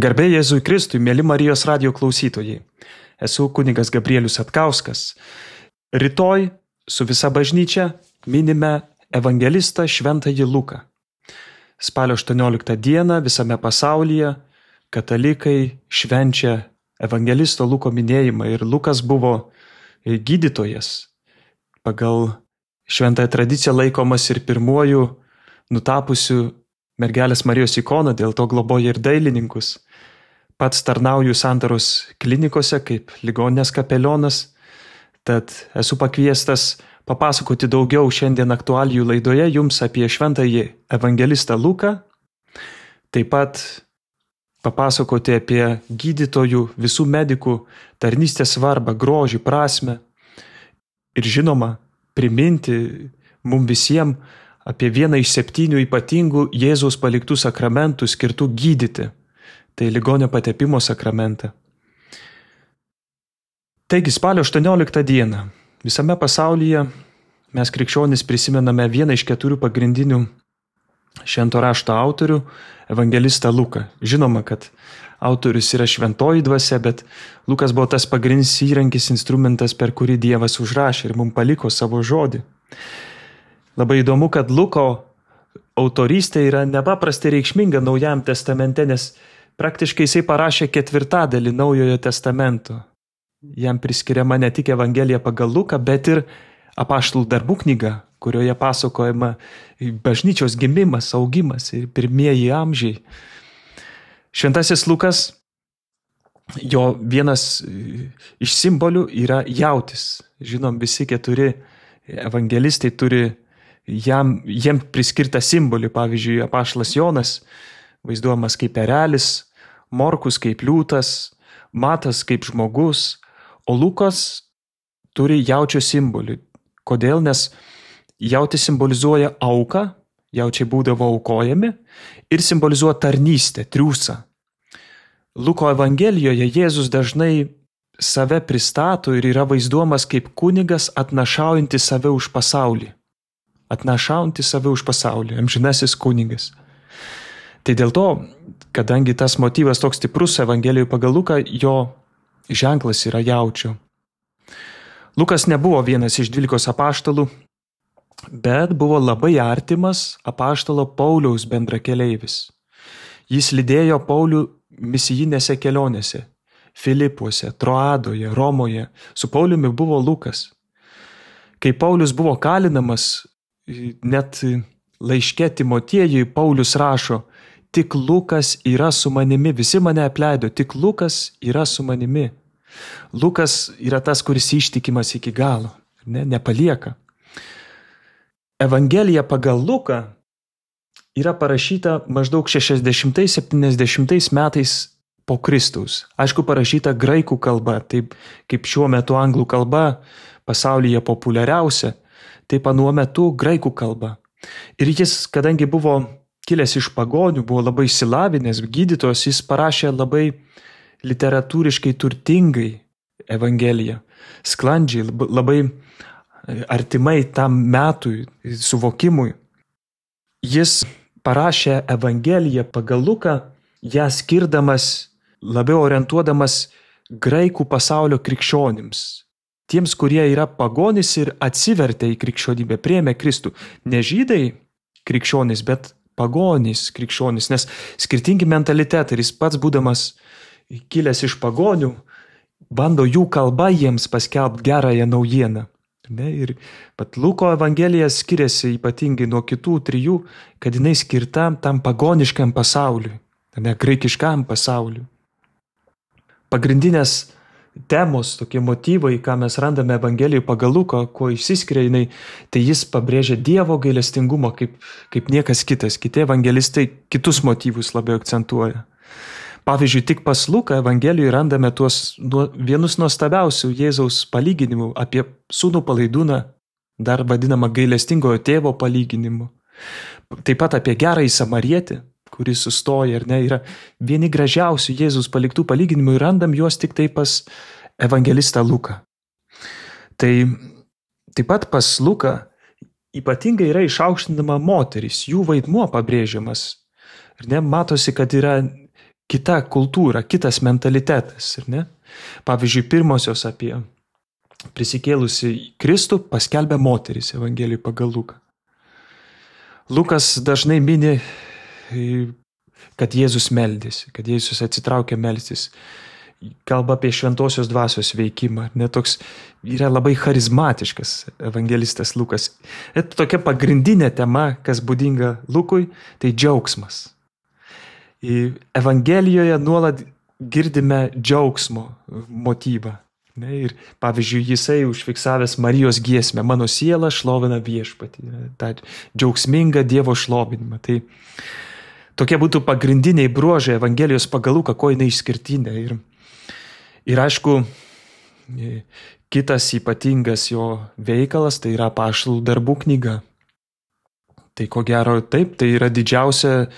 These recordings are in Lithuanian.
Garbė Jėzui Kristui, mėly Marijos radijo klausytojai. Esu kunigas Gabrielius Atkauskas. Rytoj su visa bažnyčia minime evangelistą Šventąjį Luką. Spalio 18 dieną visame pasaulyje katalikai švenčia evangelisto Luko minėjimą ir Lukas buvo gydytojas. Pagal šventąją tradiciją laikomas ir pirmuoju nutapusiu mergelės Marijos ikoną, dėl to globoja ir dailininkus. Pats tarnauju Santaros klinikose kaip ligoninės kapelionas, tad esu pakviestas papasakoti daugiau šiandien aktualijų laidoje jums apie šventąjį evangelistą Luką, taip pat papasakoti apie gydytojų, visų medikų tarnystės svarbą, grožį, prasmę ir žinoma priminti mums visiems apie vieną iš 7 ypatingų Jėzaus paliktų sakramentų skirtų gydyti. Tai ligonio patepimo sakramentą. Taigi spalio 18 dieną visame pasaulyje mes krikščionys prisimename vieną iš 4 pagrindinių švento rašto autorių, evangelistą Luką. Žinoma, kad autorius yra šventoji dvasia, bet Lukas buvo tas pagrindinis įrankis, instrumentas, per kurį Dievas užrašė ir mums paliko savo žodį. Labai įdomu, kad Luko autorystė yra nepaprastai reikšminga Naujajam testamente, nes praktiškai jisai parašė 4 Naujojo testamento. Jam priskiriama ne tik Evangelija pagal Luką, bet ir apaštalų darbų knyga, kurioje pasakojama bažnyčios gimimas, augimas ir pirmieji amžiai. Šventasis Lukas, jo vienas iš simbolių yra jautis. Žinom, visi 4 evangelistai turi jiem priskirtą simbolį. Pavyzdžiui, apaštalas Jonas vaizduojamas kaip erelis, Morkus kaip liūtas, Matas kaip žmogus, o Lukas turi jaučio simbolį. Kodėl? Nes jautis simbolizuoja auką, jaučiai būdavo aukojami ir simbolizuoja tarnystę, triūsą. Luko evangelijoje Jėzus dažnai save pristato ir yra vaizduojamas kaip kunigas atnašaujantis save už pasaulį. Atnašaujantis save už pasaulį, amžinasis kunigas. Tai dėl to, kadangi tas motyvas toks stiprus Evangelijoje pagal Luką, jo ženklas yra jaučio. Lukas nebuvo vienas iš 12 apaštalų, bet buvo labai artimas apaštalo Pauliaus bendrakeleivis. Jis lydėjo Paulių misijinėse kelionėse, Filipuose, Troadoje, Romoje. Su Pauliumi buvo Lukas. Kai Paulius buvo kalinamas, net laiške Timotiejui Paulius rašo: tik Lukas yra su manimi, visi mane apleido, tik Lukas yra su manimi. Lukas yra tas, kuris ištikimas iki galo, nepalieka. Evangelija pagal Luką yra parašyta maždaug 60-70 metais po Kristaus. Aišku, parašyta graikų kalba, taip kaip šiuo metu anglų kalba pasaulyje populiariausia, taip anuo metu graikų kalba. Ir jis, kadangi buvo kilęs iš pagonių, buvo labai išsilavinęs gydytojas, jis parašė labai literatūriškai turtingai Evangeliją, sklandžiai, labai artimai tam metui, suvokimui. Jis parašė Evangeliją pagal Luką, ją skirdamas, labiau orientuodamas graikų pasaulio krikščionims. Tiems, kurie yra pagonys ir atsivertė į krikščionybę, priėmė Kristų. Ne žydai krikščionys, bet pagonys krikščionys, nes skirtingi mentalitetai. Jis pats, būdamas kilęs iš pagonių, bando jų kalba jiems paskelbti gerąją naujieną. Ir pat Luko Evangelija skiriasi ypatingai nuo kitų 3, kad jinai skirta tam pagoniškam pasauliui, graikiškam pasauliui. Pagrindinės temos, tokie motyvai, ką mes randame Evangelijoje pagal Luką, kuo išsiskiria jinai, tai jis pabrėžia Dievo gailestingumą kaip niekas kitas. Kiti evangelistai kitus motyvus labiau akcentuoja. Pavyzdžiui, tik pas Luką Evangelijoje randame vienus nuostabiausių Jėzaus palyginimų apie sūnų palaidūną, dar vadinamą gailestingojo tėvo palyginimu. Taip pat apie gerąjį samarietį, kuris sustoja, yra vieni gražiausių Jėzaus paliktų palyginimų ir randam juos tik tai pas evangelistą Luką. Tai taip pat pas Luką ypatingai yra išaukštinama moteris, jų vaidmuo pabrėžiamas. Ir matosi, kad yra kita kultūra, kitas mentalitetas, ir ne? Pavyzdžiui, pirmosios apie prisikėlusi Kristų paskelbė moteris Evangelijai pagal Luką. Lukas dažnai mini, kad Jėzus meldėsi, kad Jėzus atsitraukė melstis. Kalba apie šventosios dvasios veikimą. Netoks yra labai charizmatiškas evangelistas Lukas. Ir tokia pagrindinė tema, kas būdinga Lukui, tai džiaugsmas. Evangelijoje nuolat girdime džiaugsmo motyvą. Ir pavyzdžiui, jisai užfiksavęs Marijos giesmę, mano siela šlovina viešpatį, tą džiaugsmingą Dievo šlovinimą. Tai tokie būtų pagrindiniai bruožai Evangelijos pagal Luką, ko jinai išskirtinė. Ir aišku, kitas ypatingas jo veikalas, tai yra Apaštalų darbų knyga. Tai ko gero taip, tai yra didžiausia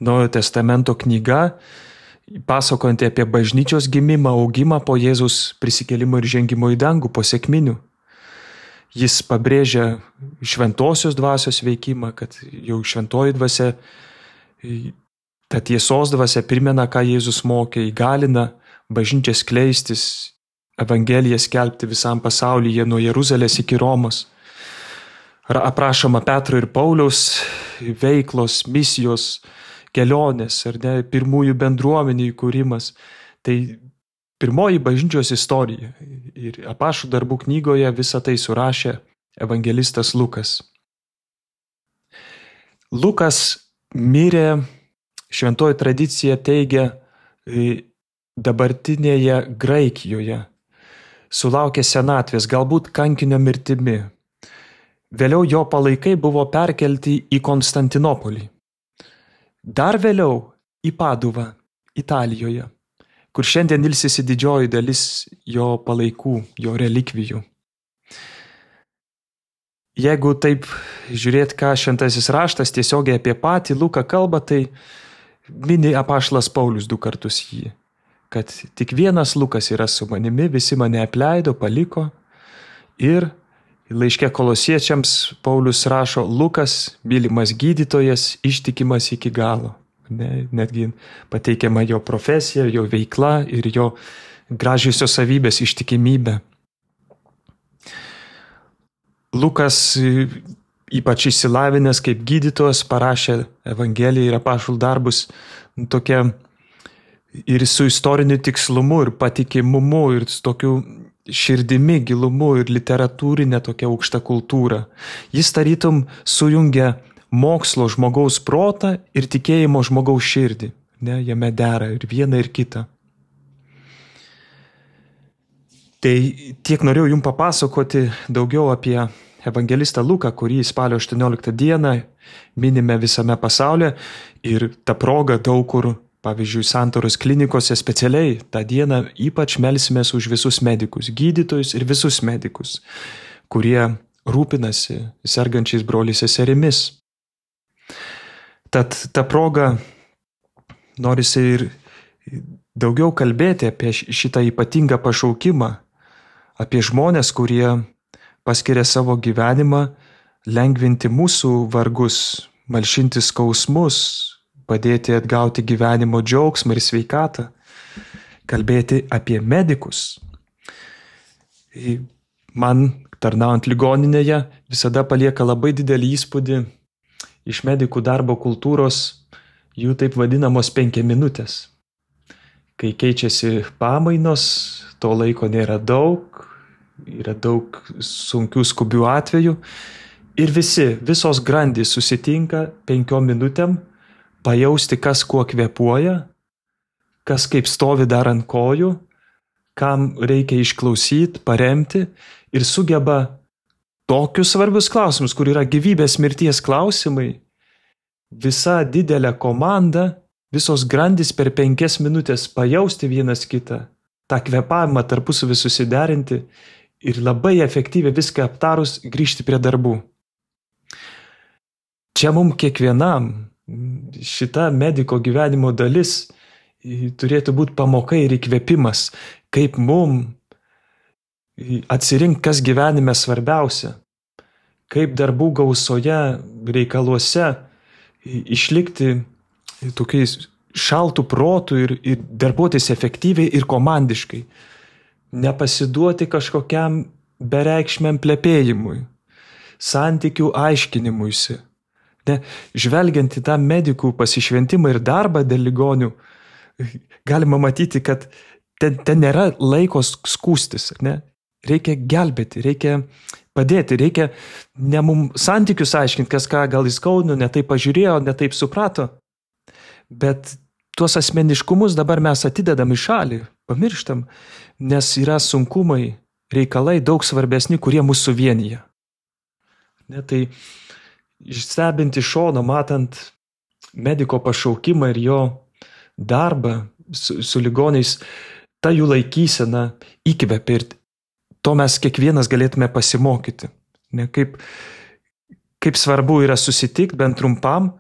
Naujojo testamento knyga, pasakojanti apie bažnyčios gimimą, augimą po Jėzaus prisikėlimo ir žengimo į dangų, po sekminių. Jis pabrėžia šventosios dvasios veikimą, kad jau šventoji dvasia, ta tiesos dvasia primena, ką Jėzus mokė, įgalina bažnyčią skleistis, Evangeliją skelbti visam pasaulyje nuo Jeruzalės iki Romos. Aprašoma Petro ir Pauliaus veiklos, misijos, kelionės, ar ne, pirmųjų bendruomenių įkūrimas. Tai pirmoji bažnyčios istorija. Ir Apaštalų darbų knygoje visą tai surašė evangelistas Lukas. Lukas mirė, šventoji tradicija teigia, dabartinėje Graikijoje. Sulaukė senatvės, galbūt kankinio mirtimi. Vėliau jo palaikai buvo perkelti į Konstantinopolį. Dar vėliau į Paduvą, Italijoje, kur šiandien ilsisi didžioji dalis jo palaikų, jo relikvijų. Jeigu taip žiūrėt, ką šventasis raštas tiesiogiai apie patį Luką kalba, tai mini apaštalas Paulius 2 kartus jį, kad tik vienas Lukas yra su manimi, visi mane apleido, paliko. Ir laiške Kolosiečiams Paulius rašo, Lukas, mylimas gydytojas, ištikimas iki galo. Netgi pateikiama jo profesija, jo veikla ir jo gražiosios savybės, ištikimybė. Lukas, ypač išsilavinęs kaip gydytojas, parašė Evangeliją ir apaštalų darbus tokia ir su istoriniu tikslumu ir patikimumu ir su tokiu širdimi, gilumu ir literatūrinė tokia aukšta kultūra. Jis tarytum sujungia mokslo žmogaus protą ir tikėjimo žmogaus širdį. Ne, jame dera ir viena ir kita. Tai tiek norėjau jums papasakoti daugiau apie evangelistą Luką, kurį spalio 18 dieną minime visame pasaulyje ir ta proga daug kur, pavyzdžiui, Santaros klinikose specialiai tą dieną ypač melsimės už visus medikus, gydytojus ir visus medikus, kurie rūpinasi sergančiais broliais seserimis. Tad ta proga norisi ir daugiau kalbėti apie šitą ypatingą pašaukimą, apie žmonės, kurie paskiria savo gyvenimą lengvinti mūsų vargus, malšinti skausmus, padėti atgauti gyvenimo džiaugsmą ir sveikatą, kalbėti apie medikus. Man, tarnaujant ligoninėje, visada palieka labai didelį įspūdį iš medikų darbo kultūros, jų taip vadinamos 5 minutės. Kai keičiasi pamainos, to laiko nėra daug, yra daug sunkių skubių atvejų ir visos grandys susitinka 5 minutėm, pajausti, kas kuo kvėpuoja, kas kaip stovi dar ant kojų, kam reikia išklausyti, paremti ir sugeba tokius svarbius klausimus, kur yra gyvybės mirties klausimai, visa didelė komanda, visos grandys per 5 minutės pajausti vienas kitą, tą kvėpavimą tarpusavį susiderinti ir labai efektyviai viską aptarus grįžti prie darbų. Čia mums kiekvienam šita mediko gyvenimo dalis turėtų būti pamoka ir įkvėpimas, kaip mum atsirinkti, kas gyvenime svarbiausia, kaip darbų gausoje, reikaluose išlikti tokiais šaltų protų ir darbuotis efektyviai ir komandiškai. Nepasiduoti kažkokiam bereikšmiam plepėjimui, santykių aiškinimuisi. Ne, žvelgiant į tą medikų pasišventimą ir darbą dėl ligonių, galima matyti, kad ten nėra laiko skūstis. Ne? Reikia gelbėti, reikia padėti, reikia ne mums santykius aiškinti, kas ką gal įskaudino, ne taip pažiūrėjo, ne taip suprato, bet tuos asmeniškumus dabar mes atidedam į šalį, pamirštam, nes yra sunkumai, reikalai daug svarbesni, kurie mūsų suvienyje. Ne, tai stebint iš šono, matant mediko pašaukimą ir jo darbą su ligoniais, ta jų laikysena įkvepia ir to mes kiekvienas galėtume pasimokyti. Ne, kaip svarbu yra susitikti bent trumpam,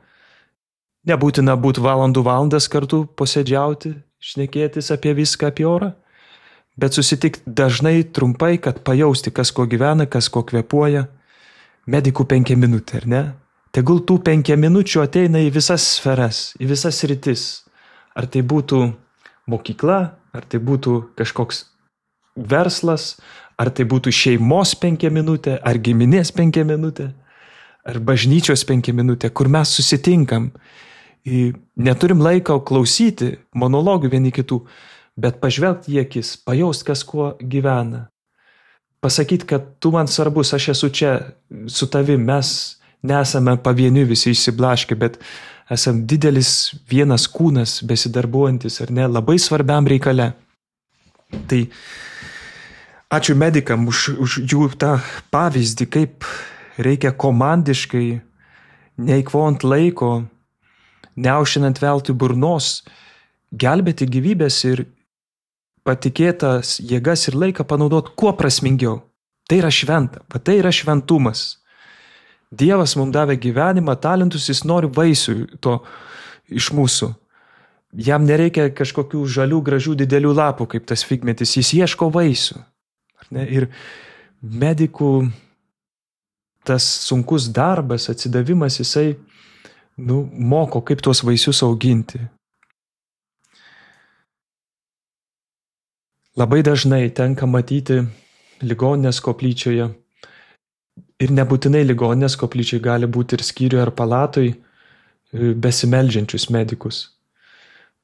nebūtina būti valandas kartu posėdžiauti, šnekėtis apie viską, apie orą, bet susitikti dažnai trumpai, kad pajausti, kas ko gyvena, kas ko kvėpuoja. Medikų 5 minutės, ar ne? Tegul tų 5 minučių ateina į visas sferas, į visas rytis. Ar tai būtų mokykla, ar tai būtų kažkoks verslas, ar tai būtų šeimos 5 minutės, ar giminės 5 minutės, ar bažnyčios 5 minutės, kur mes susitinkam. Neturim laiko klausyti monologų vieni kitų, bet pažvelgti į akis, pajaust, kas kuo gyvena. Pasakyti, kad tu man svarbus, aš esu čia su tavim, mes nesame pavieniui visi išsiblaškę, bet esam didelis vienas kūnas besidarbuojantis, ar ne, labai svarbiam reikale. Tai ačiū medikam už jų tą pavyzdį, kaip reikia komandiškai, neeikvojant laiko, neaušinant veltui burnos, gelbėti gyvybės ir patikėtas jėgas ir laiką panaudoti kuo prasmingiau. Tai yra šventa, tai yra šventumas. Dievas mums davė gyvenimą, talentus, jis nori vaisių to iš mūsų. Jam nereikia kažkokių žalių, gražių, didelių lapų, kaip tas figmetis, jis ieško vaisių. Ir medikų tas sunkus darbas, atsidavimas, jisai moko, kaip tuos vaisius auginti. Labai dažnai tenka matyti ligoninės koplyčioje ir nebūtinai ligoninės koplyčioje gali būti ir skyriuje ar palatoj besimeldžiančius medikus.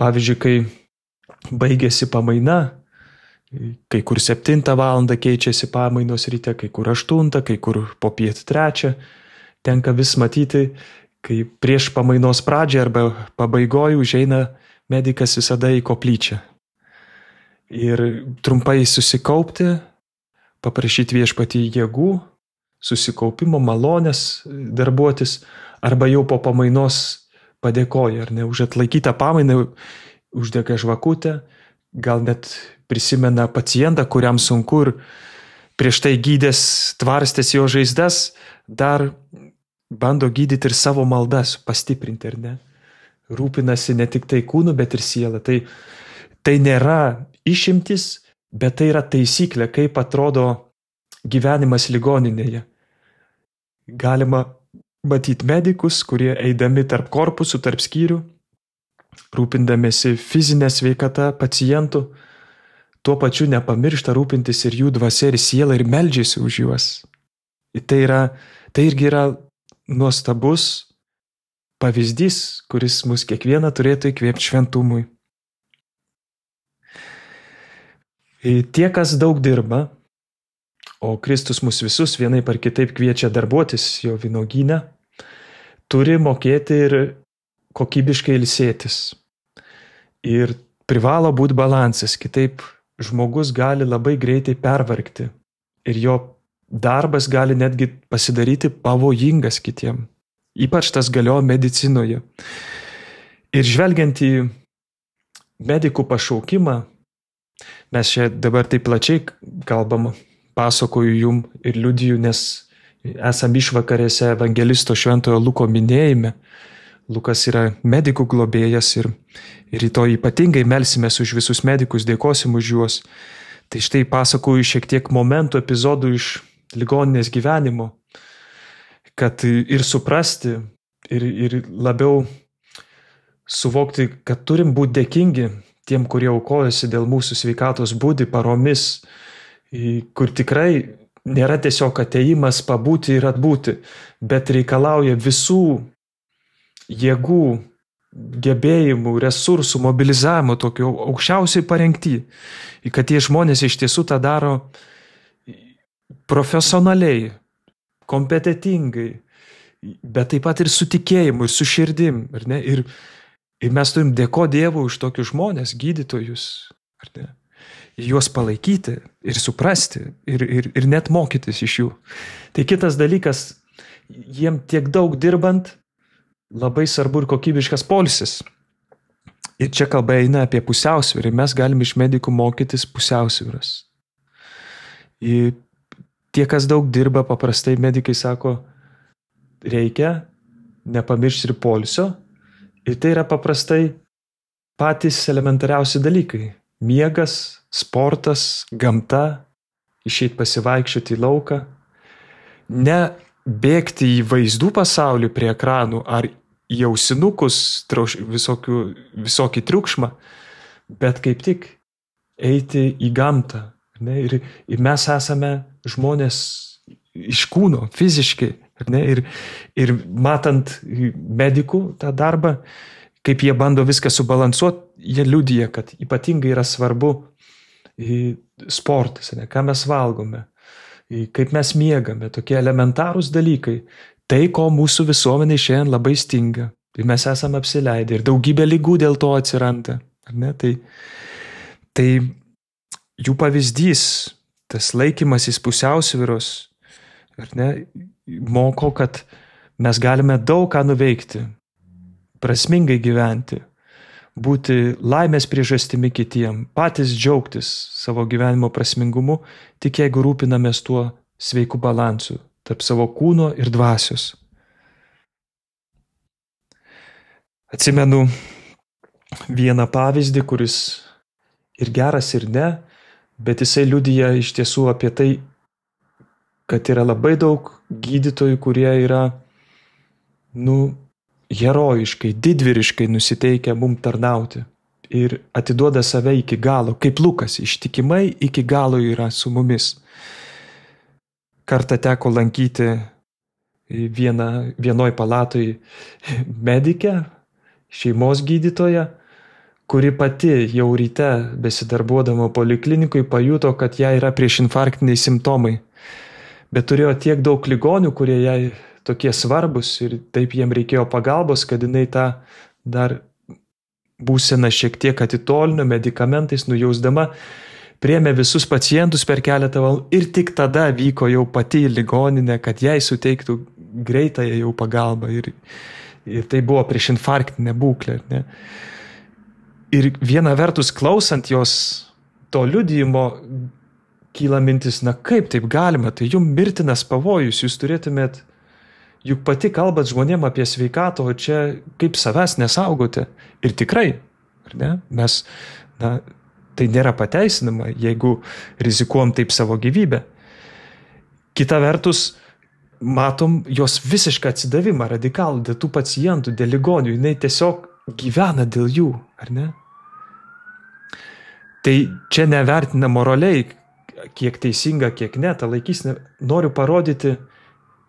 Pavyzdžiui, kai baigėsi pamaina, kai kur 7 valandą keičiasi pamainos ryte, kai kur 8, kai kur popiet 3, tenka vis matyti, kai prieš pamainos pradžią arba pabaigoj užeina medikas visada į koplyčią. Ir trumpai susikaupti, paprašyti viešpatį jėgų, susikaupimo, malonės darbuotis, arba jau po pamainos padėkoja, ar ne, už atlaikytą pamainą, uždega žvakutę, gal net prisimena pacientą, kuriam sunku ir prieš tai gydęs, tvarstęs jo žaizdas, dar bando gydyti ir savo maldas, pastiprinti, ar ne. Rūpinasi ne tik tai kūnu, bet ir sielą. Tai nėra išimtis, bet tai yra taisyklė, kaip atrodo gyvenimas ligoninėje. Galima matyti medikus, kurie eidami tarp korpusų, tarp skyrių, rūpindamėsi fizinę sveikatą pacientų, tuo pačiu nepamiršta rūpintis ir jų dvasia ir siela ir meldžiasi už juos. Tai irgi yra nuostabus pavyzdys, kuris mus kiekvieną turėtų įkvėpti šventumui. Tie, kas daug dirba, o Kristus mus visus vienaip ar kitaip kviečia darbuotis jo vynuogyne, turi mokėti ir kokybiškai ilsėtis. Ir privalo būti balansas, kitaip žmogus gali labai greitai pervargti ir jo darbas gali netgi pasidaryti pavojingas kitiem. Ypač tas galioja medicinoje. Ir žvelgiant į medikų pašaukimą, mes čia dabar taip plačiai kalbam, pasakoju jum ir liudiju, nes esam išvakarėse evangelisto Šventojo Luko minėjime. Lukas yra medikų globėjas ir rytoj ypatingai melsimės už visus medikus, dėkosim už juos. Tai štai pasakoju šiek tiek momentų, epizodų iš ligoninės gyvenimo, kad ir suprasti, ir labiau suvokti, kad turim būti dėkingi tiem, kurie aukojasi dėl mūsų sveikatos būdi paromis, kur tikrai nėra tiesiog ateimas pabūti ir atbūti, bet reikalauja visų jėgų, gebėjimų, resursų, mobilizavimo tokio aukščiausiai parengti, kad tie žmonės iš tiesų tą daro profesionaliai, kompetentingai, bet taip pat ir su tikėjimu, ir su širdim. Ar ne? Ir mes turim dėkoti Dievui už tokius žmonės, gydytojus, ar ne? Juos palaikyti ir suprasti ir net mokytis iš jų. Tai kitas dalykas, jiem tiek daug dirbant, labai svarbu ir kokybiškas poilsis. Ir čia kalba eina apie pusiausvyrą. Mes galim iš medikų mokytis pusiausvyros. Ir tie, kas daug dirba, paprastai medikai sako, reikia nepamiršti ir poilsio. Ir tai yra paprastai patys elementariausi dalykai. Miegas, sportas, gamta, išeit pasivaikščioti į lauką. Ne bėgti į vaizdų pasaulį prie ekranų ar į ausinukus visokį triukšmą, bet kaip tik eiti į gamtą. Ne? Ir mes esame žmonės iš kūno, fiziškai. Ne? Ir matant medikų tą darbą, kaip jie bando viską subalansuoti, jie liudija, kad ypatingai yra svarbu sportas, ne? Ką mes valgome, kaip mes miegame, tokie elementarūs dalykai. Tai, ko mūsų visuomenė šiandien labai stinga. Ir mes esame apsileidę ir daugybė ligų dėl to atsiranda. Ar ne? Tai jų pavyzdys, tas laikymasis pusiausvyros, ar ne, moko, kad mes galime daug ką nuveikti, prasmingai gyventi, būti laimės priežastimi kitiem, patys džiaugtis savo gyvenimo prasmingumu, tik jeigu rūpinamės tuo sveiku balansu tarp savo kūno ir dvasios. Atsimenu vieną pavyzdį, kuris ir geras, ir ne, bet jisai liudija iš tiesų apie tai, kad yra labai daug gydytojų, kurie yra, herojiškai, didvyriškai nusiteikę mum tarnauti ir atiduoda save iki galo, kaip Lukas, ištikimai iki galo yra su mumis. Kartą teko lankyti vienoj palatoj medikę, šeimos gydytoją, kuri pati jau ryte besidarbuodama poliklinikui pajuto, kad jai yra priešinfarktiniai simptomai. Bet turėjo tiek daug ligonių, kurie jai tokie svarbus ir taip jiem reikėjo pagalbos, kad jinai tą dar būseną šiek tiek atitolino, medikamentais nujausdama, priėmė visus pacientus per keletą valandų ir tik tada vyko jau pati į ligoninę, kad jai suteiktų greitąją jau pagalbą. Ir tai buvo priešinfarktinė būklė. Ne? Ir viena vertus, klausant jos to liudijimo, kyla mintis, kaip taip galima, tai jums mirtinas pavojus, jūs turėtumėt, juk pati kalbat žmonėm apie sveikatą, o čia kaip savęs nesaugote. Ir tikrai, ar ne? Mes, tai nėra pateisinama, jeigu rizikuojam taip savo gyvybę. Kita vertus, matom jos visišką atsidavimą radikalų dėl tų pacientų, dėl ligonių, jinai tiesiog gyvena dėl jų, ar ne? Tai čia nevertina moraliai, kiek teisinga, kiek ne, ta laikysena. Noriu parodyti,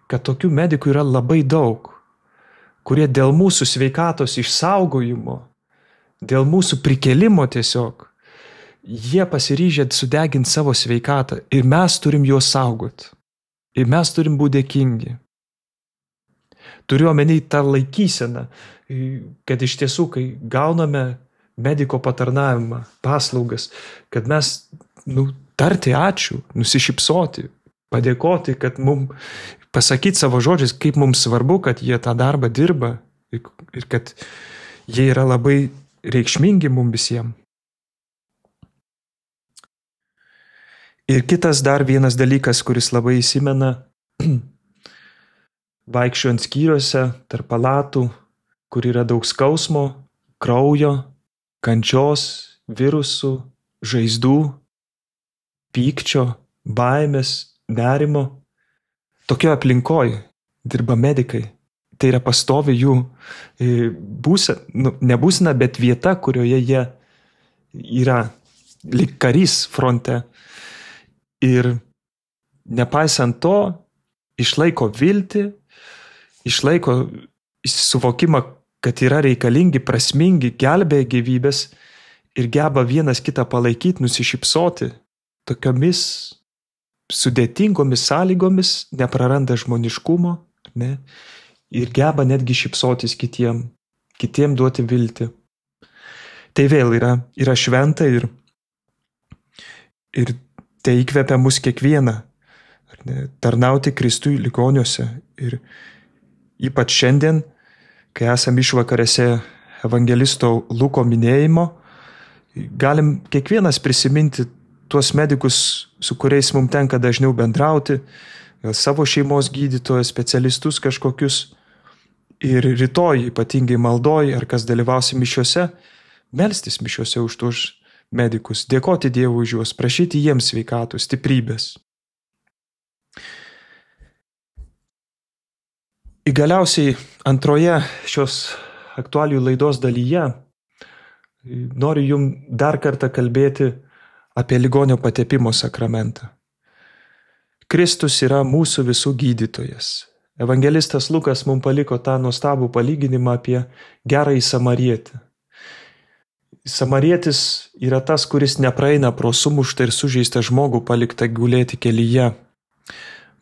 kad tokių medikų yra labai daug, kurie dėl mūsų sveikatos išsaugojimo, dėl mūsų prikelimo tiesiog, jie pasiryžę sudeginti savo sveikatą ir mes turim juos saugoti. Ir mes turim būti dėkingi. Turiu omeny tą laikyseną, kad iš tiesų, kai gauname mediko patarnavimą, paslaugas, kad mes tarti ačiū, nusišypsoti, padėkoti, kad mums pasakyti savo žodžiais, kaip mums svarbu, kad jie tą darbą dirba ir kad jie yra labai reikšmingi mums visiems. Ir kitas dar vienas dalykas, kuris labai įsimena, vaikščiojant skyriuose, tarp palatų, kur yra daug skausmo, kraujo, kančios, virusų, žaizdų, pykčio, baimės, nerimo. Tokioje aplinkoje dirba medikai, tai yra pastovi jų ne būsena, bet vieta, kurioje jie yra lyg karys fronte. Ir nepaisant to, išlaiko viltį, išlaiko suvokimą, kad yra reikalingi, prasmingi, gelbėja gyvybės ir geba vienas kitą palaikyti, nusišypsoti tokiomis sudėtingomis sąlygomis, nepraranda žmoniškumo, ne? Ir geba netgi šypsotis kitiem duoti viltį. Tai vėl yra šventa ir tai įkvepia mus kiekvieną, ne? Tarnauti Kristui ligoniuose. Ir ypač šiandien, kai esam išvakarėse evangelisto Luko minėjimo, galim kiekvienas prisiminti tuos medikus, su kuriais mums tenka dažniau bendrauti, gal savo šeimos gydytojus, specialistus kažkokius. Ir rytoj, ypatingai maldoj, ar kas dalyvausi mišiuose, melstis mišiuose už tuos medikus, dėkoti Dievui už juos, prašyti jiems sveikatos, stiprybės. Ir galiausiai antroje šios aktualijų laidos dalyje noriu jums dar kartą kalbėti apie ligonio patepimo sakramentą. Kristus yra mūsų visų gydytojas. Evangelistas Lukas mums paliko tą nuostabų palyginimą apie gerąjį samarietį. Samarietis yra tas, kuris nepraeina pro sumuštą ir sužeistą žmogų paliktą gulėti kelyje,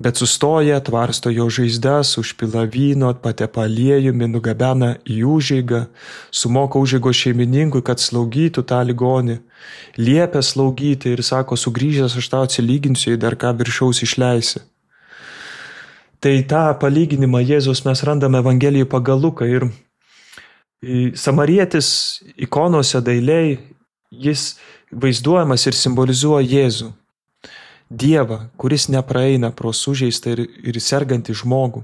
bet sustoja, tvarsto jo žaizdas, užpila vyno, patepa aliejumi, nugabena į užeigą, sumoka užeigos šeimininkui, kad slaugytų tą ligonį, liepia slaugyti ir sako, sugrįžęs aš tau atsilyginsiu, jei dar ką viršaus išleisi. Tai tą palyginimą Jėzus mes randame Evangelijoje pagal Luką ir samarietis ikonose dailiai, jis vaizduojamas ir simbolizuoja Jėzų. Dievą, kuris nepraeina pro sužeistą ir sergantį žmogų.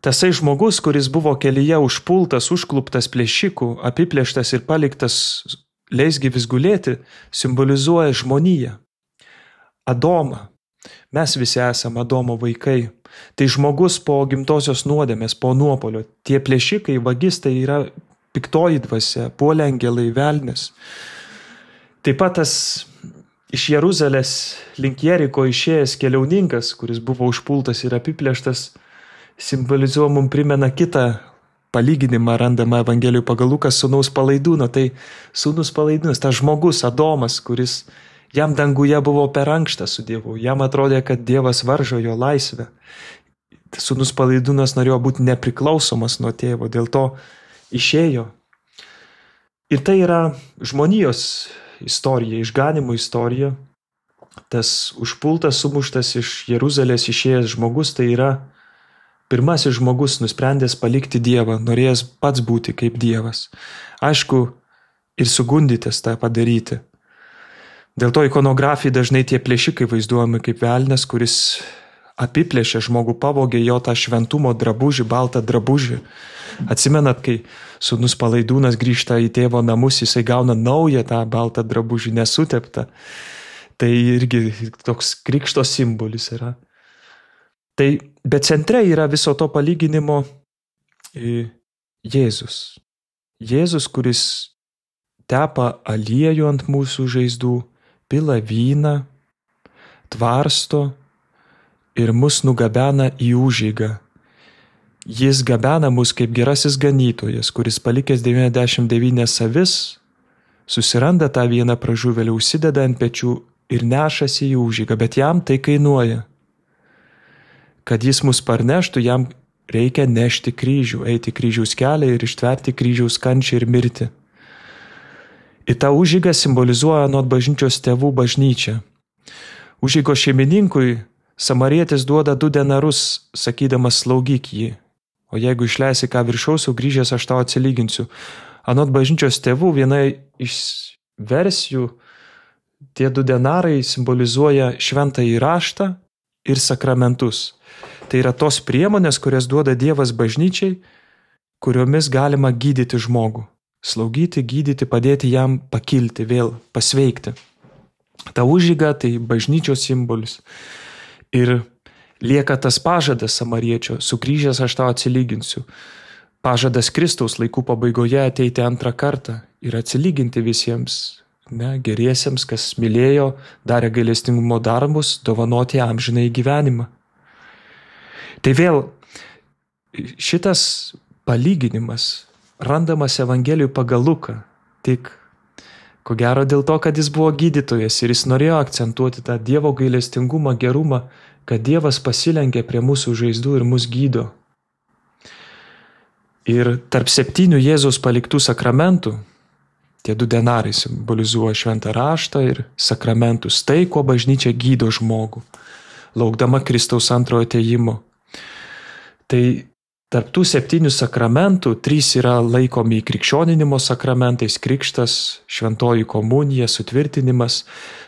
Tasai žmogus, kuris buvo kelyje užpultas, užkluptas plėšikų, apiplėštas ir paliktas leisgyvis gulėti, simbolizuoja žmoniją. Adomą. Mes visi esame Adomo vaikai. Tai žmogus po gimtosios nuodėmės, po nuopolio. Tie plėšikai, vagistai yra piktoji dvasia, puolė angelai, velnias. Taip pat tas iš Jeruzalės link Jeriko išėjęs keliauninkas, kuris buvo užpultas ir apiplėštas, simbolizuoja mums primena kitą palyginimą randamą Evangelijoje pagal Luką sūnaus Palaidūno. Tai sūnus Palaidūnas, tas žmogus Adomas, kuris jam danguje buvo per ankštas su Dievu. Jam atrodė, kad Dievas varžo jo laisvę. Sūnus Palaidūnas norėjo būti nepriklausomas nuo tėvo, dėl to išėjo. Ir tai yra žmonijos istorija, išganimo istorija. Tas užpultas, sumuštas iš Jeruzalės išėjęs žmogus, tai yra pirmasis žmogus nusprendęs palikti Dievą, norėjęs pats būti kaip Dievas. Aišku, ir sugundytas tą padaryti. Dėl to ikonografijai dažnai tie plėšikai vaizduojami kaip velnias, kuris apiplėšė žmogų, pavogė jo tą šventumo drabužį, baltą drabužį. Atsimenat, kai sūnus Palaidūnas grįžta į tėvo namus, jisai gauna naują tą baltą drabužį, nesuteptą. Tai irgi toks krikšto simbolis yra. Tai, bet centre yra viso to palyginimo Jėzus. Jėzus, kuris tepa aliejų ant mūsų žaizdų, pila vyną, tvarsto ir mus nugabena į užeigą. Jis gabena mus kaip gerasis ganytojas, kuris palikęs 99 avis, susiranda tą vieną pražuvėlį, užsideda ant pečių ir nešasi į užeigą, bet jam tai kainuoja. Kad jis mus parneštų, jam reikia nešti kryžių, eiti kryžiaus kelią ir ištverti kryžiaus kančią ir mirti. Ir ta užeiga simbolizuoja nuo bažnyčios tėvų bažnyčią. Užeigos šeimininkui samarietis duoda 2 denarus, sakydamas slaugyk jį. O jeigu išleisi ką viršaus, grįžęs aš tau atsilyginsiu. Anot bažnyčios tėvų viena iš versijų, tie 2 denarai simbolizuoja šventąjį raštą ir sakramentus. Tai yra tos priemonės, kurias duoda Dievas bažnyčiai, kuriomis galima gydyti žmogų. Slaugyti, gydyti, padėti jam pakilti, vėl pasveikti. Ta užeiga tai bažnyčios simbolis. Ir Lieka tas pažadas samariečio, sugrįžęs aš tau atsilyginsiu. Pažadas Kristaus laikų pabaigoje ateiti antrą kartą ir atsilyginti visiems, geriesiems, kas mylėjo, darė gailestingumo darbus, dovanoti amžinąjį gyvenimą. Tai vėl šitas palyginimas randamas Evangelijų pagal Luką, tik ko gero dėl to, kad jis buvo gydytojas ir jis norėjo akcentuoti tą Dievo gailestingumą, gerumą, kad Dievas pasilenkia prie mūsų žaizdų ir mus gydo. Ir tarp 7 Jėzaus paliktų sakramentų, tie 2 denarai simbolizuoja šventą raštą ir sakramentus, tai, kuo bažnyčia gydo žmogų, laukdama Kristaus antrojo atėjimo. Tai tarp tų 7 sakramentų 3 yra laikomi krikščioninimo sakramentais, krikštas, šventoji komunija, sutvirtinimas,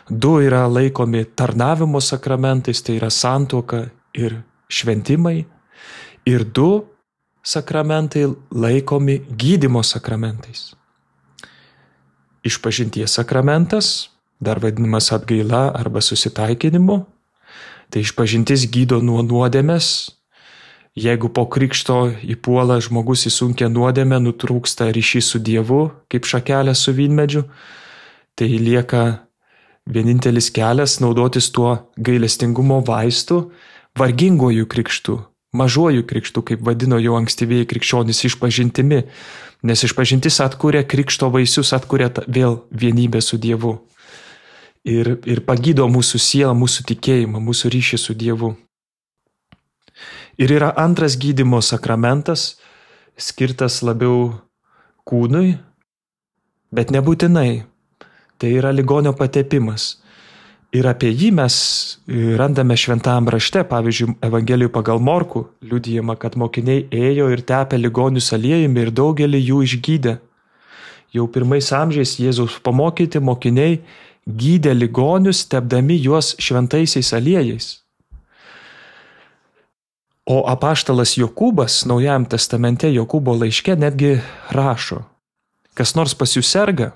2 yra laikomi tarnavimo sakramentais, tai yra santuoka ir šventimai, ir 2 sakramentai laikomi gydymo sakramentais. Išpažinties sakramentas, dar vadinamas atgaila arba susitaikinimu, tai išpažintis gydo nuo nuodėmės. Jeigu po krikšto įpuola žmogus į sunkią nuodėmę, nutrūksta ryšys su Dievu, kaip šakelė su vynmedžiu, tai lieka vienintelis kelias naudotis tuo gailestingumo vaistu, varginguoju krikštu, mažuoju krikštu, kaip vadino jau ankstyvieji krikščionys, išpažintimi, nes išpažintis atkuria krikšto vaisius, atkuria vėl vienybę su Dievu ir pagydo mūsų sielą, mūsų tikėjimą, mūsų ryšį su Dievu. Ir yra antras gydymo sakramentas, skirtas labiau kūnui, bet nebūtinai. Tai yra ligonio patepimas. Ir apie jį mes randame šventajam rašte, pavyzdžiui, Evangelijų pagal Morkų, liudijama, kad mokiniai ėjo ir tepė ligonius aliejumi ir daugelį jų išgydė. Jau 1 amžiais Jėzaus pamokyti mokiniai gydė ligonius, tepdami juos šventaisiais aliejais. O apaštalas Jokūbas Naujajam testamente Jokūbo laiške netgi rašo, kas nors pas jūs serga,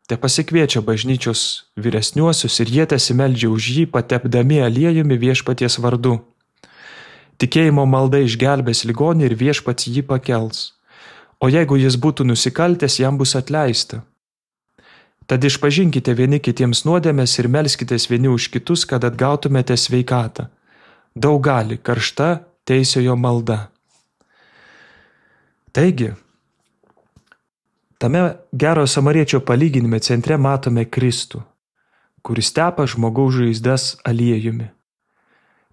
te pasikviečia bažnyčios vyresniuosius ir jie tesimeldžia už jį, patepdami aliejumi viešpaties vardu. Tikėjimo malda išgelbės ligonį ir viešpats jį pakels. O jeigu jis būtų nusikaltęs, jam bus atleista. Tad išpažinkite vieni kitiems nuodėmes ir melskitės vieni už kitus, kad atgautumėte sveikatą. Daug gali karšta teisiojo malda. Taigi, tame gerojo samariečio palyginime centre matome Kristų, kuris tepa žmogaus žaizdas aliejumi.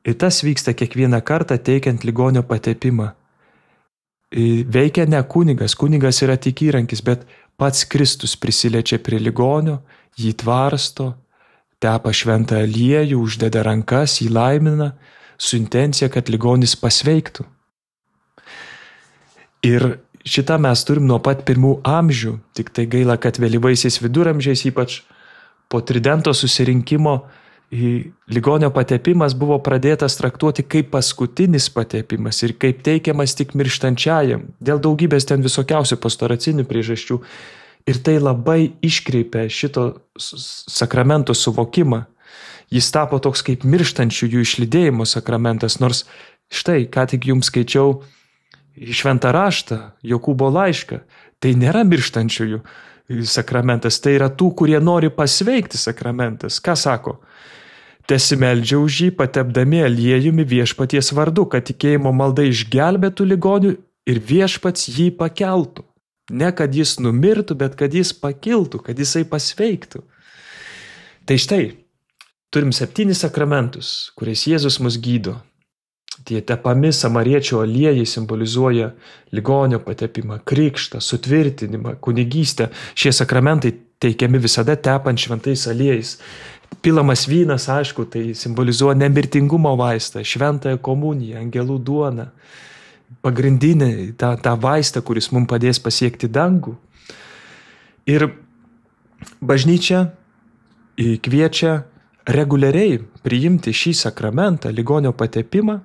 Ir tas vyksta kiekvieną kartą teikiant ligonio patepimą. Veikia ne kunigas, kunigas yra tik įrankis, bet pats Kristus prisiliečia prie ligonio, jį tvarsto, tepa šventą aliejų, uždeda rankas, jį laimina, su intencija, kad ligonis pasveiktų. Ir šitą mes turim nuo pat 1 amžių, tik tai gaila, kad vėlyvaisiais viduramžiais, ypač po Tridento susirinkimo, ligonio patepimas buvo pradėtas traktuoti kaip paskutinis patepimas ir kaip teikiamas tik mirštančiajam, dėl daugybės ten visokiausių pastoracinių priežasčių. Ir tai labai iškreipia šito sakramento suvokimą. Jis tapo toks kaip mirštančiųjų išlydėjimo sakramentas, nors štai, ką tik jums skaičiau šventą raštą, Jokūbo laišką, tai nėra mirštančiųjų sakramentas, tai yra tų, kurie nori pasveikti sakramentas. Ką sako? Tesimeldžia už jį, patepdami aliejumi viešpaties vardu, kad tikėjimo malda išgelbėtų ligonių ir viešpats jį pakeltų. Ne kad jis numirtų, bet kad jis pakiltų, kad jisai pasveiktų. Tai štai, turim 7 sakramentus, kuriais Jėzus mus gydo. Tie tepami samariečio aliejai simbolizuoja ligonio patepimą, krikštą, sutvirtinimą, kunigystę. Šie sakramentai teikiami visada tepant šventais aliejais. Pilamas vynas, aišku, tai simbolizuoja nemirtingumo vaistą, šventąją komuniją, angelų duoną, pagrindinį tą vaistą, kuris mums padės pasiekti dangų. Ir bažnyčia kviečia reguliariai priimti šį sakramentą, ligonio patepimą,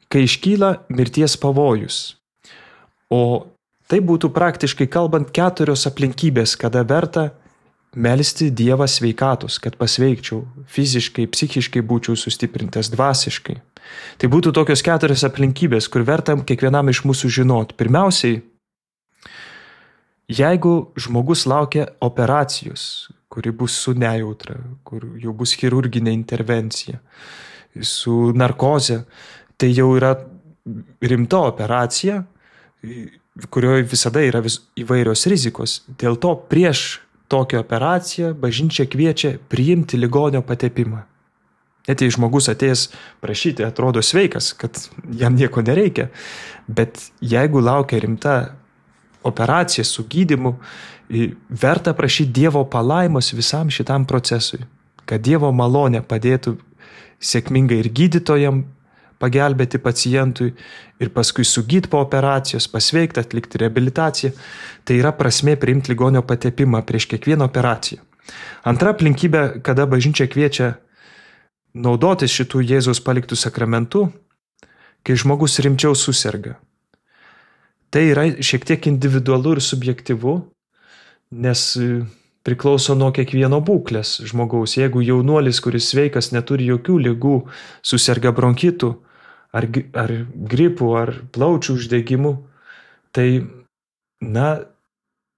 kai iškyla mirties pavojus. O tai būtų praktiškai kalbant 4 aplinkybės, kada verta melsti Dievą sveikatos, kad pasveikčiau, fiziškai, psichiškai būčiau sustiprintas, dvasiškai. Tai būtų tokios 4 aplinkybės, kur verta kiekvienam iš mūsų žinoti. Pirmiausiai, jeigu žmogus laukia operacijos, kuri bus su nejautra, kur jau bus chirurginė intervencija, su narkoze, tai jau yra rimta operacija, kurioje visada yra įvairios rizikos. Dėl to prieš tokią operaciją bažnyčia kviečia priimti ligonio patepimą. Net jei žmogus atėjęs prašyti, atrodo sveikas, kad jam nieko nereikia, bet jeigu laukia rimta operacija su gydymu, verta prašyti Dievo palaimos visam šitam procesui, kad Dievo malonė padėtų sėkmingai ir gydytojam pagelbėti pacientui ir paskui sugyti po operacijos, pasveikti, atlikti reabilitaciją. Tai yra prasmė priimti ligonio patepimą prieš kiekvieną operaciją. Antra aplinkybė, kada bažnyčia kviečia naudotis šitų Jėzaus paliktų sakramentų, kai žmogus rimčiau suserga. Tai yra šiek tiek individualu ir subjektyvu, nes priklauso nuo kiekvieno būklės žmogaus. Jeigu jaunuolis, kuris sveikas, neturi jokių ligų, suserga bronchitų, ar gripų, ar plaučių uždegimų, tai,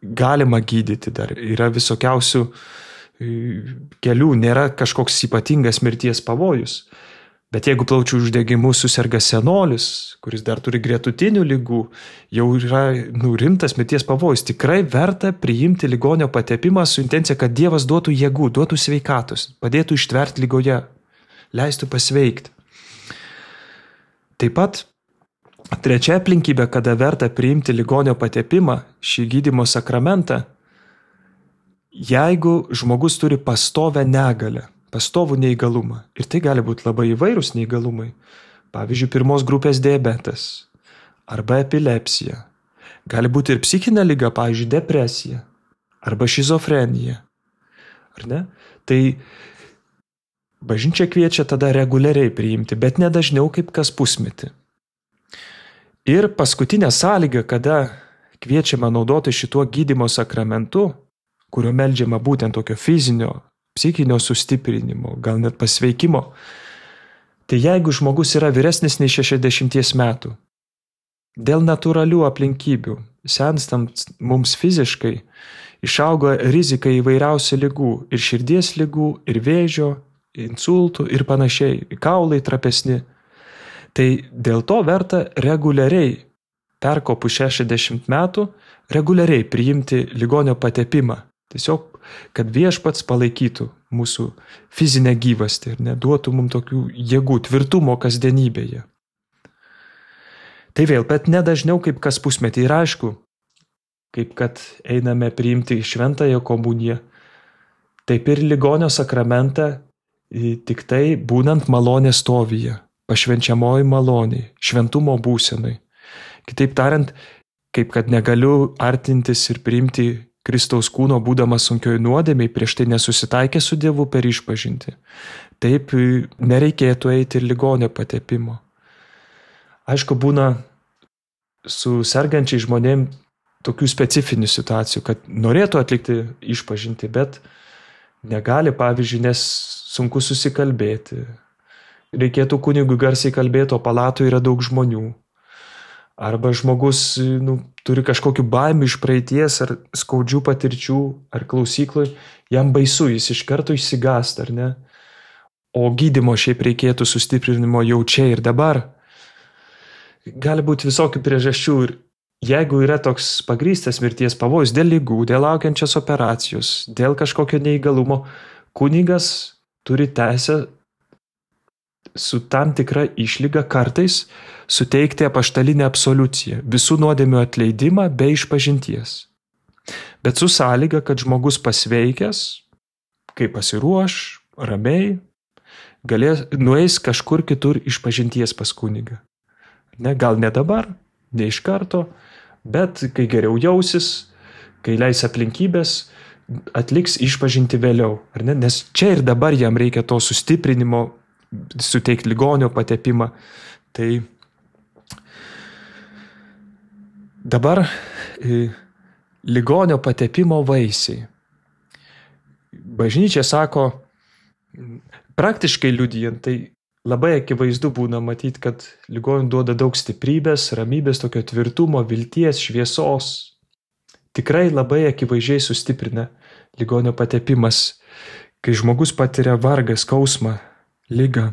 galima gydyti dar. Yra visokiausių kelių, nėra kažkoks ypatingas mirties pavojus. Bet jeigu plaučių uždegimu suserga senolis, kuris dar turi gretutinių ligų, jau yra rimtas mirties pavojus. Tikrai verta priimti ligonio patepimą su intencija, kad Dievas duotų jėgų, duotų sveikatos, padėtų ištverti ligoje, leistų pasveikti. Taip pat trečia aplinkybė, kada verta priimti ligonio patepimą, šį gydymo sakramentą, jeigu žmogus turi pastovę negalią, pastovų neįgalumą. Ir tai gali būti labai įvairūs neįgalumai. Pavyzdžiui, 1 grupės diabetas arba epilepsija. Gali būti ir psichinė liga, pavyzdžiui, depresija arba šizofrenija. Ar ne? Tai bažnyčia kviečia tada reguliariai priimti, bet ne dažniau kaip kas pusmetį. Ir paskutinė sąlyga, kada kviečiama naudoti šituo gydymo sakramentu, kurio meldžiama būtent tokio fizinio, psichinio sustiprinimo, gal net pasveikimo, tai jeigu žmogus yra vyresnis nei 60 metų, dėl natūralių aplinkybių, senstant mums fiziškai, išauga rizika įvairiausių ligų, ir širdies ligų, ir vėžio, insultų ir panašiai, kaulai trapesni. Tai dėl to verta reguliariai, perkopus 60 metų, reguliariai priimti ligonio patepimą. Tiesiog, kad Viešpats palaikytų mūsų fizinę gyvastį ir neduotų mums tokių jėgų, tvirtumo kasdienybėje. Tai vėl, bet nedažniau kaip kas pusmetį. Ir aišku, kaip kad einame priimti šventąją komuniją, taip ir ligonio sakramentą tik tai būnant malonės stovyje, pašvenčiamoji maloniai, šventumo būsenai. Kitaip tariant, kaip kad negaliu artintis ir priimti Kristaus kūno būdamas sunkioj nuodėmėj, prieš tai nesusitaikė su Dievu per išpažintį. Taip nereikėtų eiti ir ligonio patepimo. Aišku, būna su sergančiai žmonėm tokių specifinių situacijų, kad norėtų atlikti išpažintį, bet negali, pavyzdžiui, nes sunku susikalbėti. Reikėtų kunigui garsiai kalbėti, o palatoje yra daug žmonių. Arba žmogus turi kažkokių baimių iš praeities ar skaudžių patirčių ar klausykloj, jam baisu, jis iš karto išsigąsta, ar ne? O gydymo šiaip reikėtų sustiprinimo jau čia ir dabar. Gali būti visokių priežasčių ir jeigu yra toks pagrįstas mirties pavojus dėl ligų, dėl laukiančios operacijos, dėl kažkokio neįgalumo, kunigas turi teisę su tam tikra išlyga kartais suteikti apaštalinę absoliuciją, visų nuodėmių atleidimą be išpažinties. Bet su sąlyga, kad žmogus pasveikęs, kai pasiruoš, ramiai, nueis kažkur kitur išpažinties pas kunigą. Gal ne dabar, ne iš karto, bet kai geriau jausis, kai leis aplinkybės, atliks išpažinti vėliau. Nes čia ir dabar jam reikia to sustiprinimo, suteikti ligonio patepimą. Tai dabar ligonio patepimo vaisiai. bažnyčia sako, praktiškai liudijant, tai labai akivaizdu būna matyti, kad ligoniui duoda daug stiprybės, ramybės, tokio tvirtumo, vilties, šviesos. Tikrai labai akivaizdžiai sustiprina ligonio patepimas, kai žmogus patiria vargą, skausmą, ligą.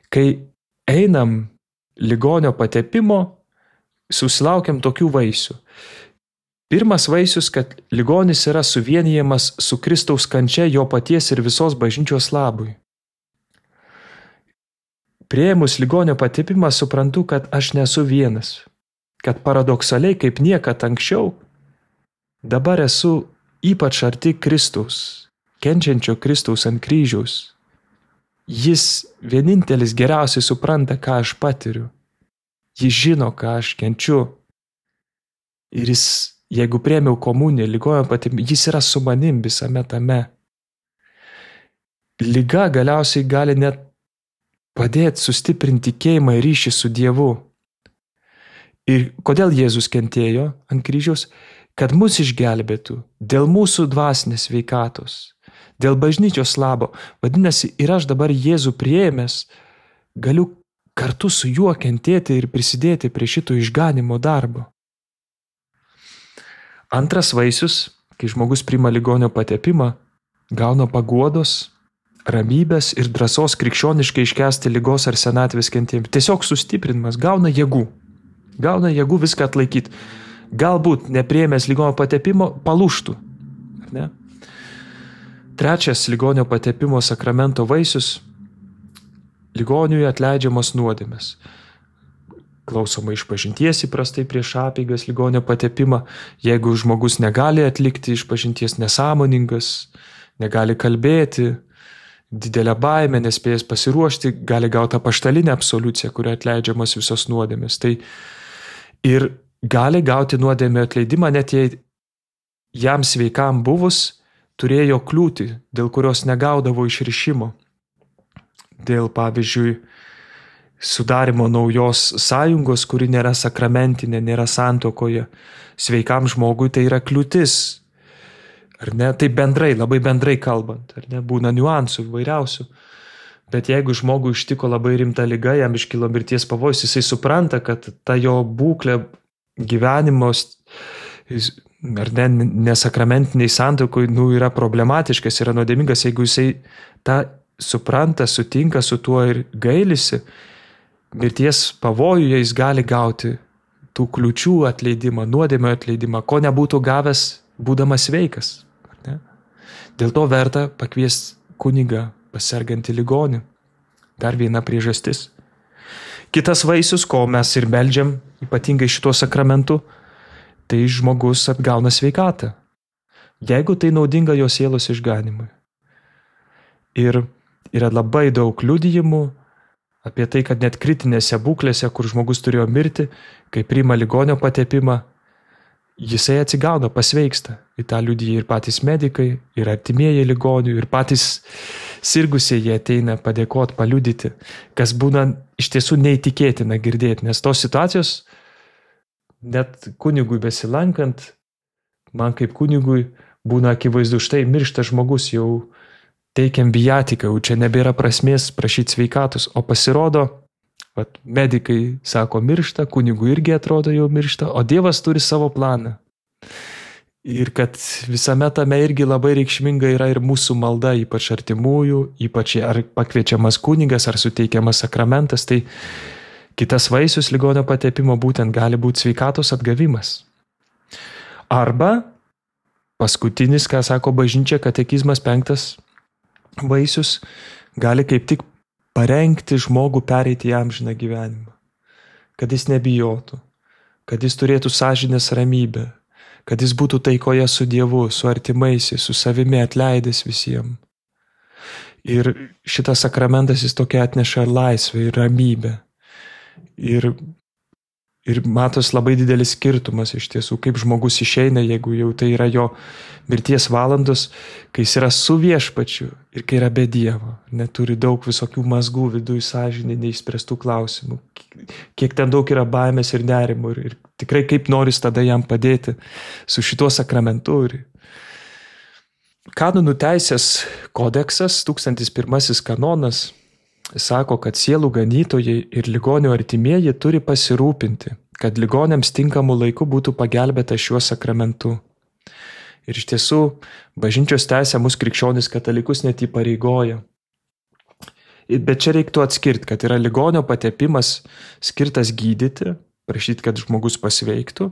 Kai einam ligonio patepimo, susilaukiam tokių vaisių. Pirmas vaisius, kad ligonis yra suvienijamas su Kristaus kančia jo paties ir visos bažnyčios labui. Priėmus ligonio patepimą suprantu, kad aš nesu vienas, kad paradoksaliai kaip niekad anksčiau, dabar esu ypač arti Kristaus, kenčiančio Kristaus ant kryžiaus. Jis vienintelis geriausiai supranta, ką aš patiriu. Jis žino, ką aš kenčiu. Ir jis, jeigu priėmiau komuniją, ligonio patepimą, jis yra su manim visame tame. Liga galiausiai gali net padėti sustiprinti tikėjimą ir ryšį su Dievu. Ir kodėl Jėzus kentėjo ant kryžiaus? Kad mus išgelbėtų dėl mūsų dvasinės sveikatos, dėl bažnyčios labo. Vadinasi, ir aš dabar Jėzų priėmęs galiu kartu su juo kentėti ir prisidėti prie šito išganimo darbo. Antras vaisius, kai žmogus priima ligonio patepimą, gauna paguodos, ramybės ir drąsos krikščioniškai iškęsti ligos ar senatvės kentėjimą. Tiesiog sustiprinimas, gauna jėgų viską atlaikyti. Galbūt nepriėmęs ligonio patepimo palūžtų. Ne? Trečias ligonio patepimo sakramento vaisius – ligoniui atleidžiamos nuodėmės. Klausoma išpažinties įprastai prieš apeigas ligonio patepimą. Jeigu žmogus negali atlikti išpažinties, nesąmoningas, negali kalbėti, didelę baimę, nespėjęs pasiruošti, gali gauti apaštalinę absoliuciją, kuria atleidžiamos visos nuodėmės. Tai ir gali gauti nuodėmę atleidimą, net jei jam sveikam buvus turėjo kliūtį, dėl kurios negaudavo išrišimo. Dėl, pavyzdžiui, sudarimo naujos sąjungos, kuri nėra sakramentinė, nėra santuokoje. Sveikam žmogui tai yra kliūtis. Ar ne? Tai bendrai, labai bendrai kalbant. Ar ne? Būna niuansų įvairiausių. Bet jeigu žmogui ištiko labai rimta liga, jam iškilo mirties pavojus, jisai supranta, kad ta jo būklė gyvenimos ar ne, nesakramentiniai santuokoj yra problematiškas, yra nuodėmingas. Jeigu jisai tą supranta, sutinka su tuo ir gailisi, mirties pavojuje jis gali gauti tų kliūčių atleidimą, nuodėmio atleidimą, ko nebūtų gavęs būdamas sveikas. Ne? Dėl to verta pakviesti kunigą pasergantį ligonį. Dar viena priežastis. Kitas vaisius, ko mes ir meldžiam, ypatingai šituo sakramentu, tai žmogus atgauna sveikatą. Jeigu tai naudinga jo sielos išganimui. Ir yra labai daug liudijimų apie tai, kad net kritinėse būklėse, kur žmogus turėjo mirti, kai priima ligonio patepimą, jisai atsigauna, pasveiksta. Į tą liudija ir patys medikai, ir artimieji ligonių, ir patys sirgusieji ateina padėkoti, paliudyti, kas būna iš tiesų neįtikėtina girdėti, nes tos situacijos, net kunigui besilankant, man kaip kunigui būna akivaizdu, štai miršta žmogus, jau teikiam viatiką, jau čia nebėra prasmės prašyti sveikatos, o pasirodo, medikai sako miršta, kunigui irgi atrodo jau miršta, o Dievas turi savo planą. Ir kad visame tame irgi labai reikšminga yra ir mūsų malda, ypač artimųjų, ypač ar pakviečiamas kunigas, ar suteikiamas sakramentas, tai kitas vaisius ligonio patepimo būtent gali būti sveikatos atgavimas. Arba paskutinis, ką sako bažnyčia, katekizmas 5 vaisius, gali kaip tik parengti žmogų pereiti į amžiną gyvenimą. Kad jis nebijotų, kad jis turėtų sąžinės ramybę, kad jis būtų taikoje su Dievu, su artimaisiais, su savimi atleidęs visiems. Ir šitas sakramentas jis tokia atneša laisvę ir ramybę. Ir Ir matos labai didelis skirtumas iš tiesų, kaip žmogus išeina, jeigu jau tai yra jo mirties valandos, kai jis yra su viešpačiu ir kai yra be Dievo. Neturi daug visokių mazgų viduje, sąžinė, neišspręstų klausimų. Kiek ten daug yra baimės ir nerimo. Ir tikrai kaip noris tada jam padėti su šituo sakramentu. Kanonų teisės kodeksas, 1001 kanonas, sako, kad sielų ganytojai ir ligonių artimieji turi pasirūpinti, kad ligoniams tinkamu laiku būtų pagelbėta šiuo sakramentu. Ir iš tiesų, bažnyčios teisė mus krikščionis katalikus net įpareigoja. Bet čia reiktų atskirti, kad yra ligonio patepimas skirtas gydyti, prašyti, kad žmogus pasveiktų.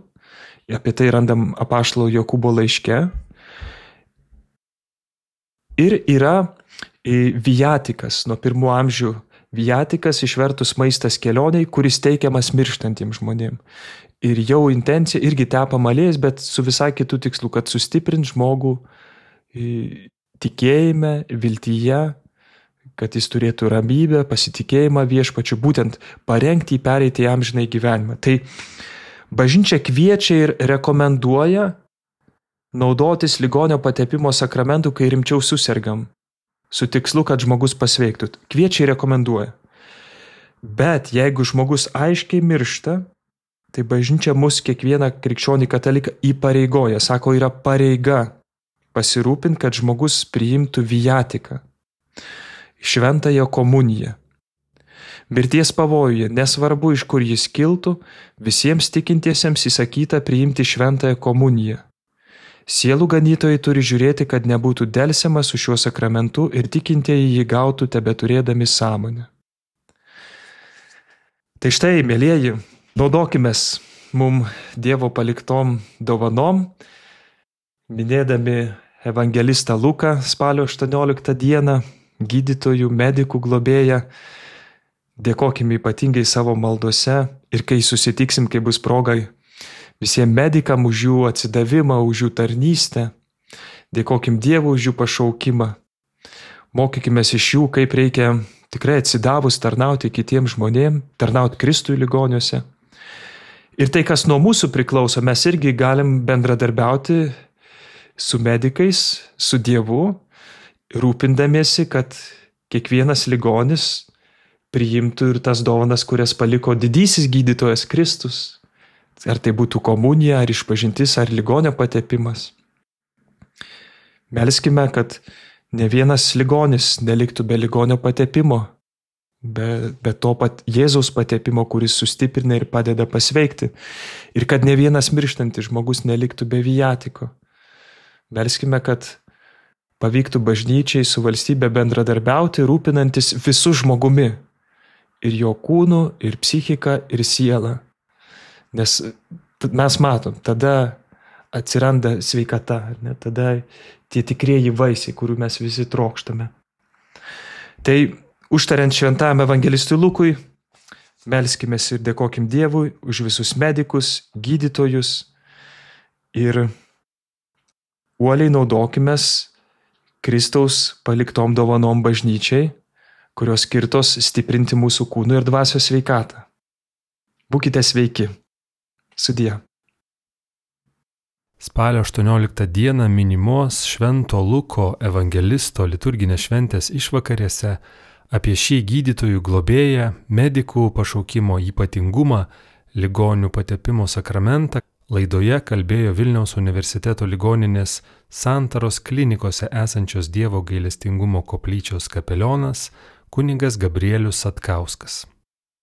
Apie tai randam apaštalo Jokūbo laiške. Ir yra viatikas, nuo 1 amžių viatikas išvertus maistas kelioniai, kuris teikiamas mirštantiems žmonėms. Ir jau intencija irgi tepama aliejais, bet su visai kitų tikslų, kad sustiprint žmogų tikėjime, viltyje, kad jis turėtų ramybę, pasitikėjimą viešpačiu, būtent parengti jį pereiti į amžinąjį gyvenimą. Tai bažnyčia kviečia ir rekomenduoja naudotis ligonio patepimo sakramentu, kai rimčiau susergam, su tikslu, kad žmogus pasveiktų. Kviečia ir rekomenduoja. Bet jeigu žmogus aiškiai miršta, tai bažnyčia mus kiekvieną krikščionį kataliką įpareigoja. Sako, yra pareiga pasirūpinti, kad žmogus priimtų viatiką, šventąją komuniją. Mirties pavojuje, nesvarbu iš kur jis kiltų, visiems tikintiesiems įsakyta priimti šventąją komuniją. Sielų ganytojai turi žiūrėti, kad nebūtų delsiama su šiuo sakramentu ir tikintieji jį gautų tebeturėdami sąmonę. Tai štai, mielieji, naudokimės mums Dievo paliktom dovanom, minėdami evangelistą Luką spalio 18 dieną, gydytojų, medikų globėją, dėkokime ypatingai savo maldose ir kai susitiksim, kai bus progai, visiems medikam už jų atsidavimą, už jų tarnystę. Dėkokim Dievui už jų pašaukimą. Mokykimės iš jų, kaip reikia tikrai atsidavus tarnauti kitiems žmonėms, tarnauti Kristui ligoniuose. Ir tai, kas nuo mūsų priklauso, mes irgi galim bendradarbiauti su medikais, su Dievu, rūpindamiesi, kad kiekvienas ligonis priimtų ir tas dovanas, kurias paliko didysis gydytojas Kristus. Ar tai būtų komunija, ar išpažintis, ar ligonio patepimas. Melskime, kad ne vienas ligonis neliktų be ligonio patepimo, be to pat Jėzaus patepimo, kuris sustiprina ir padeda pasveikti. Ir kad ne vienas mirštantis žmogus neliktų be viatiko. Melskime, kad pavyktų bažnyčiai su valstybe bendradarbiauti, rūpinantis visų žmogumi. Ir jo kūnu, ir psichika, ir siela. Nes mes matom, tada atsiranda sveikata, ne? Tada tie tikrieji vaisiai, kurių mes visi trokštame. Tai užtariant šventajam evangelistui Lukui, melskimės ir dėkokim Dievui už visus medikus, gydytojus ir uoliai naudokimės Kristaus paliktom dovanom bažnyčiai, kurios skirtos stiprinti mūsų kūnų ir dvasios sveikatą. Būkite sveiki. Sudie. Spalio 18 dieną minimos Švento Luko evangelisto liturginės šventės išvakarėse apie šį gydytojų globėją, medikų pašaukimo ypatingumą, ligonių patepimo sakramentą laidoje kalbėjo Vilniaus universiteto ligoninės Santaros klinikose esančios Dievo gailestingumo koplyčios kapelionas kunigas Gabrielius Satkauskas.